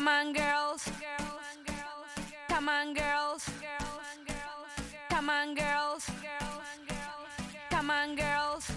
Come on, girls. Come on, girls. Come on, girls. Come on, girls.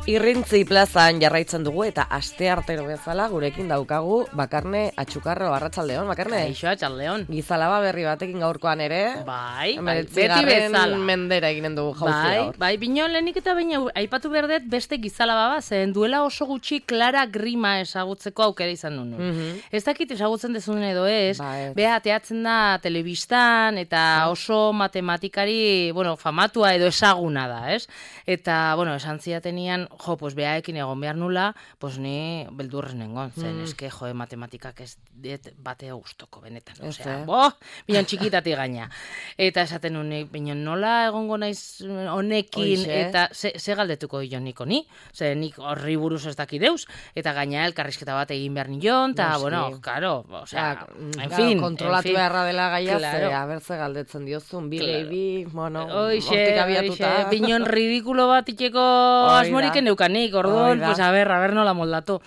Irrintzi plazan jarraitzen dugu eta asteartero bezala gurekin daukagu Bakarne Atxukarro. Arratsaldeon, Bakarne. Kaixo, arratsaldeon. Gizalaba berri batekin gaurkoan ere. Bai, beti bezala. Mendera eginen dugu jauzia gaur. Bai, binon lehenik eta baina aipatu berdet beste gizalaba bat, zen duela oso gutxi Clara Grima ezagutzeko aukera izan nuen. Ez dakit ezagutzen dezun edo ez, beha teatzen da telebistan eta oso matematikari, famatua edo ezaguna da, ez? Eta, esan zidatenian, pues behaekin egon behar nula, pues ni beldurrez nengon, zen, eske, matematikak ez bate gustoko benetan, osea, bion txikitati gaina. Eta esaten unik, bion nola egongo naiz honekin, eta ze galdetuko dion niko ni, ze nik horri buruz ez dakideuz, eta gaina elkarrizketa bat egin behar nion, eta, karo, osea, en fin. Kontrolatu beharra dela gaia, abertze galdetzen diozun, bi, hortik abiatuta. Bion ridikulo bat itxeko asmorik neukanik, orduan, pues a ver nola moldatu.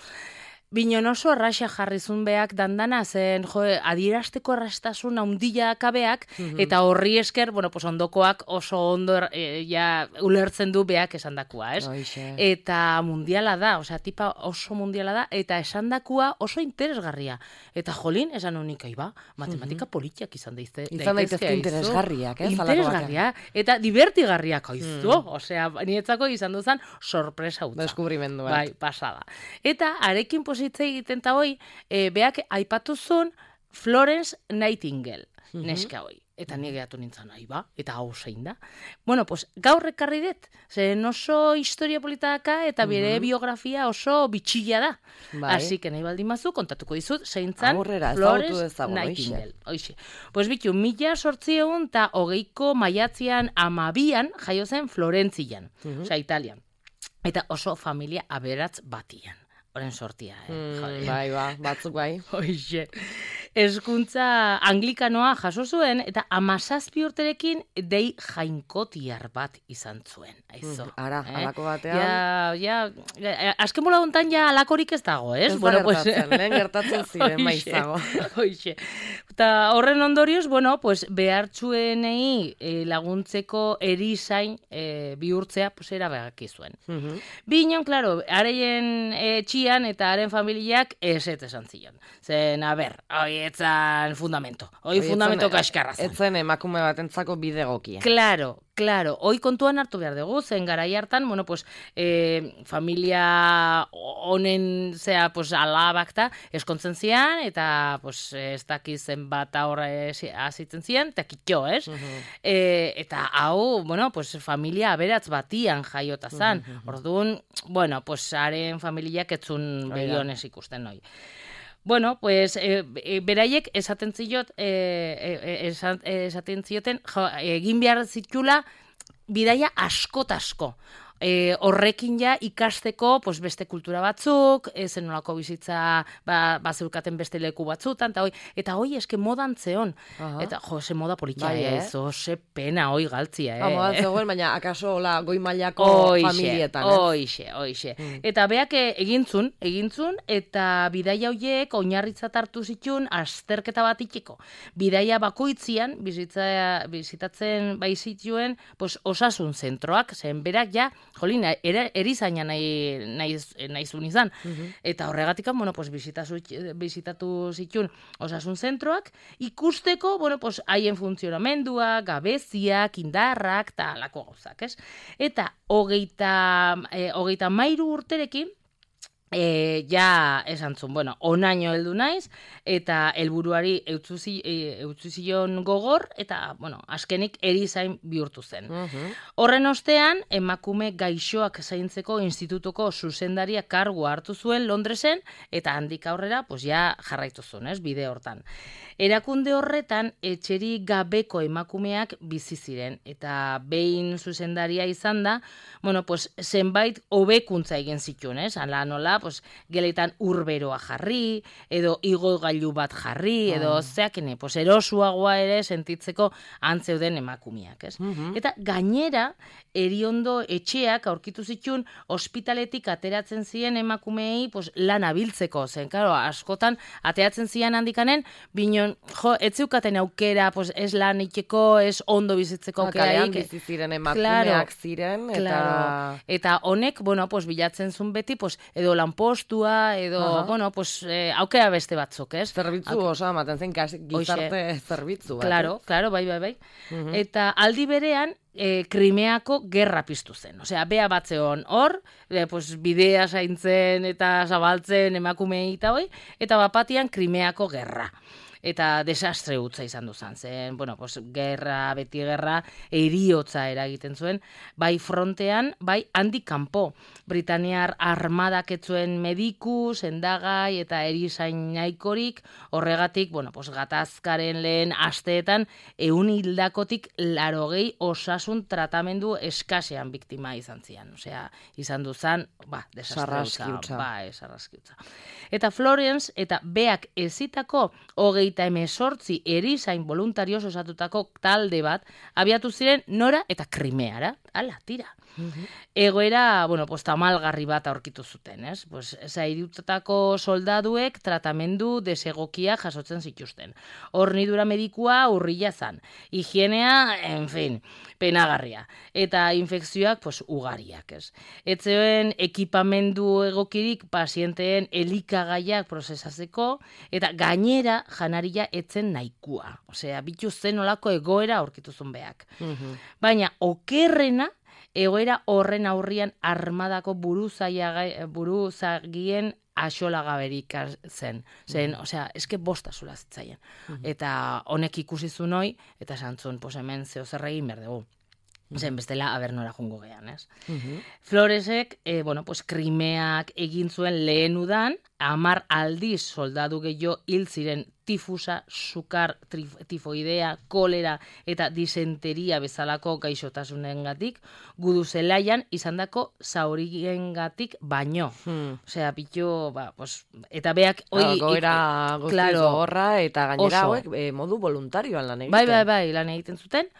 Binon oso arraxa jarrizun beak dandana, zen adierazteko arrastasun haundila kabeak, eta horri esker, pues ondokoak oso ondo ulertzen du beak esandakua, ez? Eta mundiala da, osea, tipa oso mundiala da, eta esandakua oso interesgarria. Eta jolin, esan honik, matematika politiak izan daizte. Izan daitezke interesgarriak, ez? Interesgarria, eta divertigarriak, osea, nietzako izan duzan sorpresa utza. Deskubrimendu. Bai, pasada. Eta arekin hitze egiten ta hoi, beak aipatu zuen Florence Nightingale, neska hoi. Eta ni gehatu nintzen, eta hau zein da. Pues gaur ekarri dut, zen oso historia politaka eta bere biografia oso bitxilla da. Así que nahi baldin mazu, kontatuko dizut, zein zan Florence Nightingale. Pues bitu, 1820ko maiatzean 12 jaio zen Florentzian, osea Italian. Eta oso familia aberatz batian. Horen sortia, Bai, batzuk bai. Hoixe. Hezkuntza anglikanoa jaso zuen, eta 17 urterekin dei jainkotiar bat izan zuen. Alako batean. Azken bola hontan alakorik ez dago, ez? Ez da gertatzen, lehen gertatzen ziren maizago. Hoixe. Eta horren ondorioz, behartzuenei laguntzeko erizain bihurtzea, erabaki zuen. Binon, klaro, hareien etxian eta haren familiak esan zion. Zen, hoi etzan fundamento. Hoi fundamento kaskarra zen. Etzen emakume batentzako bide egokia. Claro, hoi kontuan hartu behar dugu, zen garai hartan, familia honen alabak da eskontzen zian, eta ez dakizen bat horre azitzen zian, eta kitxo, ez? Eta hau, familia aberatz batian jaiota zan. Orduan, haren familiak etzun begionez ikusten noi. Beraiek esaten zioten egin behar zitula bidaia asko. Horrekin ja ikasteko beste kultura batzuk, zen nolako bizitza bazeukaten beste leku batzutan, eta hoi eske modan zeon. Eta ze moda politia ez, ze pena hoi galtzia. Modan zegoen, baina akaso goi mailako familietan. Hoixe. Eta beak egintzun, eta bidaia hoiek oinarritzat hartu zituen azterketa bat itxeko. Bidaia bakoitzian, bizitatzen zituen osasun zentroak, zen berak ja, jolina, erizaina nahi zuen izan. Eta horregatikan, bizitatu zituen osasun zentroak, ikusteko, haien funtzionamendua, gabeziak, indarrak, eta alako gauzak, ez? Eta hogeita 13 urterekin, esan zuen, onaino heldu naiz, eta helburuari eutzu zion gogor, eta, azkenik erizain bihurtu zen. Horren ostean, emakume gaixoak zaintzeko institutuko zuzendaria kargua hartu zuen Londresen, eta handik aurrera, jarraitu zuen, bide hortan. Erakunde horretan, etxeri gabeko emakumeak bizi ziren, eta behin zuzendaria izan da, zenbait hobekuntza egin zituen, hala nola, pues, geletan urberoa jarri, edo igogailu bat jarri, edo zeakene, pues, erosuagoa ere sentitzeko antzeuden emakumeak, ez? Eta gainera, eriondo etxeak aurkitu zituen ospitaletik ateratzen ziren emakumeei pues, lan abiltzeko, zen, claro, askotan ateratzen ziren handikanen, binon, ez zeukaten aukera, pues, ez lan itxeko, ez ondo bizitzeko aukeraik. Kalean bizi ziren emakumeak ziren, eta honek, bueno, pues, bilatzen zuen beti, pues, edo lanpostua, edo, bueno, pues, aukera beste batzuk, ez? Zerbitzu oso ematen zen, gizarte zerbitzu. Claro, bai. Eta aldi berean, Krimeako gerra piztu zen. Osea, bea batzeon hor, pues, bidea zaintzen eta zabaltzen emakumei eta bapatian Krimeako gerra. Eta desastre hutza izan duzan zen. Bueno, pues, beti gerra, eriotza eragiten zuen, bai frontean, bai handik kanpo. Britaniar armadak etzuen mediku, sendagai eta erizain nahikorik, horregatik, bueno, pues, gatazkaren lehen asteetan, 100 hildakotik 80 osasun tratamendu eskasean biktima izan zian. Osea, izan duzan, desastre hutza. Sarraskiutza. Eta Florence eta beak ezitako 38 erizain voluntarioz osatutako talde bat abiatu ziren Nora eta Krimeara. Hala, tira. Egoera, bueno, pues, tamalgarri bat aurkitu zuten, ez? Pues, zairutako soldaduek tratamendu desegokia jasotzen zituzten. Hornidura medikua urrila zan. Higienea, en fin, penagarria. Eta infekzioak, pues, ugariak, ez? Etzeoen ekipamendu egokirik pazienteen elikagaiak prozesatzeko, eta gainera janaria etzen nahikua. Osea, bitu zen olako egoera aurkitu zuen beak. Baina, okerrena, egoera horren aurrian armadako buruzagien axolagaberik zen. Osea, eske bosta zula zitzaien. Eta honek ikusi zuen hoi, eta santzun, pues hemen zeo zer egin behar dugu. Zen bestela abernora jungo gehan, ez? Floresek, bueno, pues Krimeak egin zuen lehen udan, 10 aldiz soldadu gehiago hil ziren tifusa, sukar, tifoidea, kolera eta disenteria bezalako gaixotasunengatik, gudu zelaian izandako zauriengatik baino. Osea, pitu, pues, eta beak... Goera guztiz gogorra eta gainera hauek modu voluntarioan lan egiten. Bai, lan egiten zuten.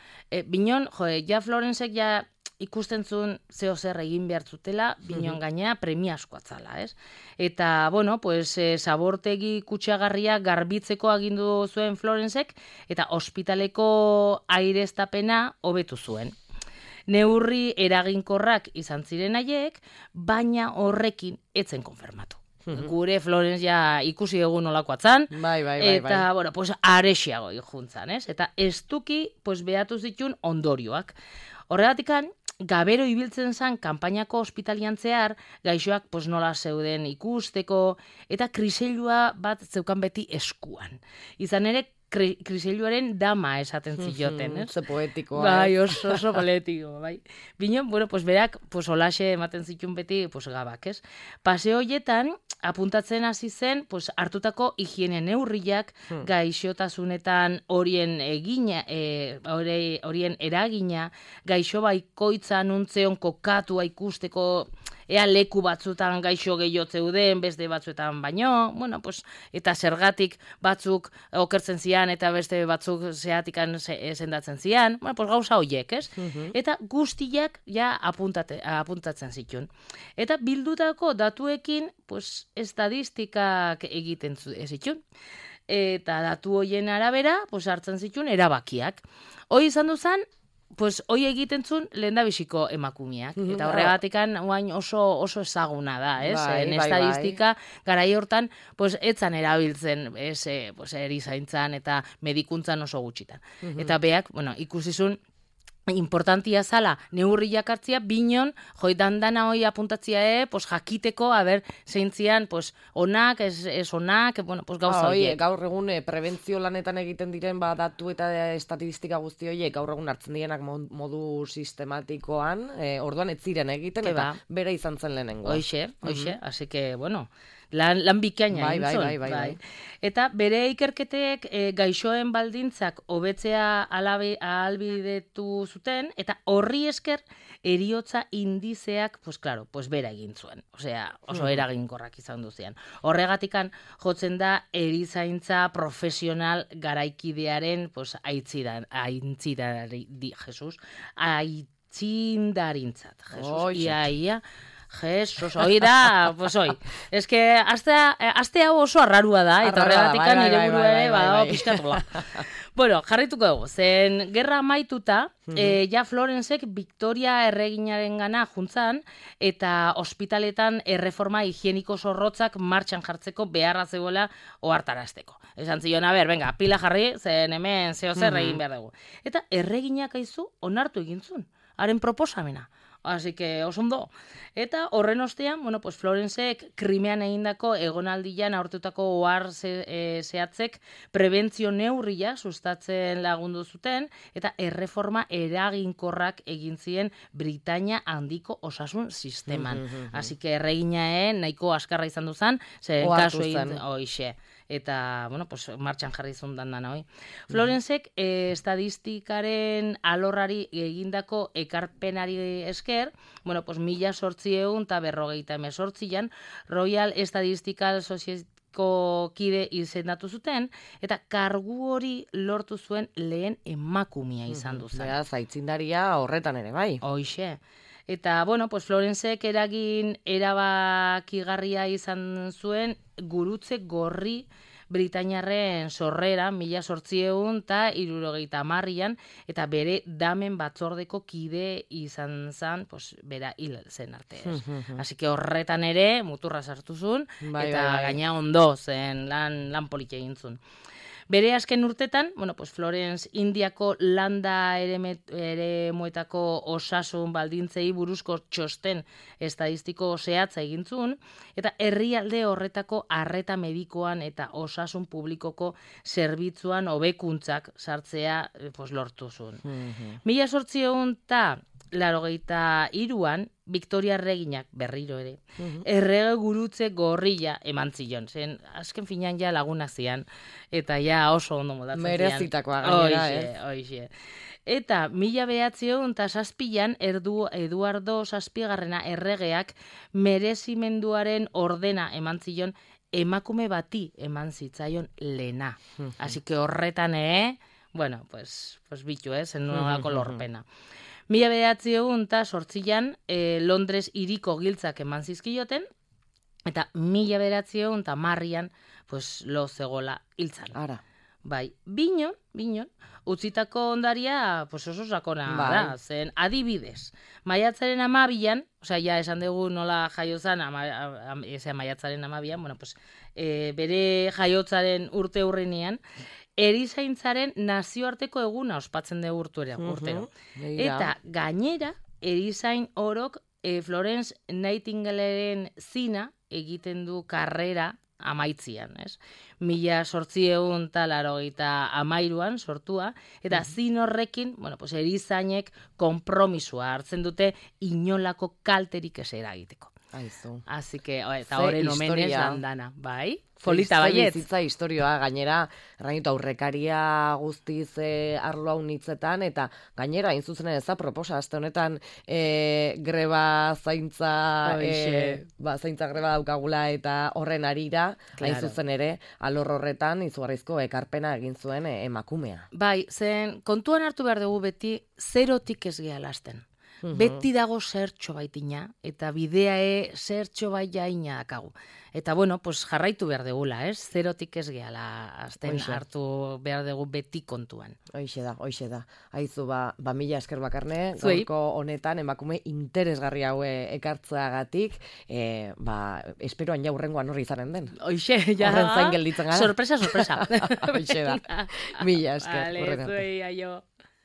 Binon, ja Florencek ja ikusten zuen zeo zer egin behar zutela, binon gainea premiazkoa zala, ez? Eta, bueno, pues, zabortegi kutsagarria garbitzeko agindu zuen Florencek, eta ospitaleko aireztapena hobetu zuen. Neurri eraginkorrak izan ziren haiek, baina horrekin etzen konfirmatu. Gure Florence ja ikusi egun nolakoa zan, eta, bueno, pues, arexiago juntzan, ez? Eta estuki, pues, behatu zituen ondorioak. Horregatikan, gabero ibiltzen zan kanpainako ospitalian zehar, gaixoak pues, nola zeuden ikusteko, eta kriselua bat zeukan beti eskuan. Izan ere, kriseiluaren dama esaten zioten, ez? Ze poetikoa. Bai, oso poetiko, bai. Bino, bueno, pues berak, pues olaxe ematen zituen beti, pues gabak, ez? Paseo hoietan, apuntatzen hasi zen, pues hartutako higiene neurriak, gaixotasunetan horien eragina, gaixo baikoitza nuntzeon kokatua ikusteko, ea leku batzutan gaixo gehiago zeuden, beste batzuetan baino, bueno, pues, eta zergatik batzuk okertzen zian, eta beste batzuk zehatikan sendatzen zian, bueno, pues gauza hoiek, ez? Eta guztiak ja apuntatzen zituen. Eta bildutako datuekin, pues, estadistikak egiten zituen. Eta datu hoien arabera, pues, hartzen zituen erabakiak. Hoi izan duzan, pues hoi egiten zuen lehendabiziko emakumeak. Eta horregatikan oso ezaguna da, ez? Estadistika garai hortan, pues etzan erabiltzen, pues erizaintzan eta medikuntzan oso gutxitan. Eta beak, bueno, ikusizun importantia zala neurriak hartzia, binon, joitan dana hoi apuntatzia, pues jakiteko, zeintzian, pues onak, ez onak, bueno, pues gauza horiek. Gaur egun prebentzio lanetan egiten diren datu eta estatistika guzti horiek gaur egun hartzen dienak modu sistematikoan, orduan ez ziren egiten, eta bera izan zen lehenengo. Hoxe, así que, bueno, lan bikaina Bai, egin zuen. bai. Eta bere ikerketek gaixoen baldintzak hobetzea ahalbidetu zuten, eta horri esker eriotza indizeak, pues claro, pues bera egin zuen. Osea, oso eraginkorrak izan duzian. Horregatikan jotzen da erizaintza profesional garaikidearen, pues aitzindarintzat. Ia. Jesus, hoi da, pues hoi. Ez que, aste hau oso arrarua da, eta horregatikan nire buru ere, pixkatola. Bueno, jarrituko dugu, zen gerra amaituta, ja Florensek Victoria erreginaren gana juntzan, eta ospitaletan erreforma higieniko zorrotzak martxan jartzeko beharra zegoela ohartarazteko. Esan zion, venga, pila jarri, zen hemen zeo zer egin behar dugu. Eta erreginak aizu onartu egintzun, haren proposamena. Así que osondo. Eta horren ostean, pues Florensek Krimean egindako egonaldian aurtutako ohar zehatzek prebentzio neurria sustatzen lagundu zuten, eta erreforma eraginkorrak egin zien Britainia handiko osasun sisteman. Así que erregina nahiko askarra izan duzan, zer kasu egin hoixe. Eta, pues martxan jarri zundan dana, hoi. Florensek estadistikaren alorrari egindako ekarpenari esker, pues 1858an Royal Statistical Society kide izendatu zuten, eta kargu hori lortu zuen lehen emakumea izan duzan. Beraz, aitzindaria horretan ere, bai. Hoixe. Eta, pues Florensek eragin erabakigarria izan zuen gurutze gorri Britainiarren sorrera 1870an, eta bere damen batzordeko kide izan zen, pues, bera hil zen arte. Así que horretan ere muturra sartu zuen, eta gaina ondo zen lan politia egin zuen. Bere azken urtetan, pues Florence Indiako landa eremuetako osasun baldintzei buruzko txosten estadistiko zehatza egin zuen, eta herrialde horretako arreta medikoan eta osasun publikoko zerbitzuan hobekuntzak sartzea lortu zuen. 1883an, Victoria erreginak berriro ere, errege gurutze gorrilla eman zion. Zen, azken finean ja lagunak zian, eta ja oso ondo modatzen zian. Merezitakoa gainera, Hoixe. Eta 1907an Eduardo Zazpigarrena erregeak merezimenduaren ordena eman zion, emakume bati eman zitzaion lehena. Así que horretan pues bitu, zen nolako lorpena. 1908an Londres hiriko giltzak eman zizkioten, eta 1910an pues lo zegola hiltzan. Ara. Bai, binon, utzitako ondaria pues oso sakona da, zen adibidez. Maiatzaren 12an, ja esan dugu nola jaiozan, maiatzaren 12an, pues bere jaiotzaren urte hurrenean, erizaintzaren nazioarteko eguna ospatzen dugu urtero. Eta gainera, erizain orok Florence Nightingaleren zina egiten du karrera amaitzian, ez? 1883an sortua, eta zin horrekin, pues erizainek konpromisua hartzen dute inolako kalterik ez eragiteko. Aizu. Así que, eta horren omenez landana, bai? Polita baiet. Bizitza historioa, gainera, aurrekaria guztiz arlo hau nitzetan, eta gainera, inzuzen ez da, proposa, azte honetan greba zaintza, zaintza greba daukagula, eta horren arira, hain zuzen ere, alor horretan, izugarrizko ekarpena egin zuen emakumea. Bai, zen, kontuan hartu behar dugu beti, zerotik ez gehalazten. Beti dago zertxo baitina, eta bidea zertxo baina dakagu. Eta pues jarraitu behar degula, zerotik ez gehala azten hartu behar dugu beti kontuan. Hoixe da. Aizu, mila esker Bakarne, gaurko honetan emakume interesgarri haue ekartzeagatik, esperoan ja hurrengoan horri izanen den. Hoixe, ja. Horren zain gelditzen gara. Sorpresa. Hoixe da. Mila esker. Vale, zuei, aio.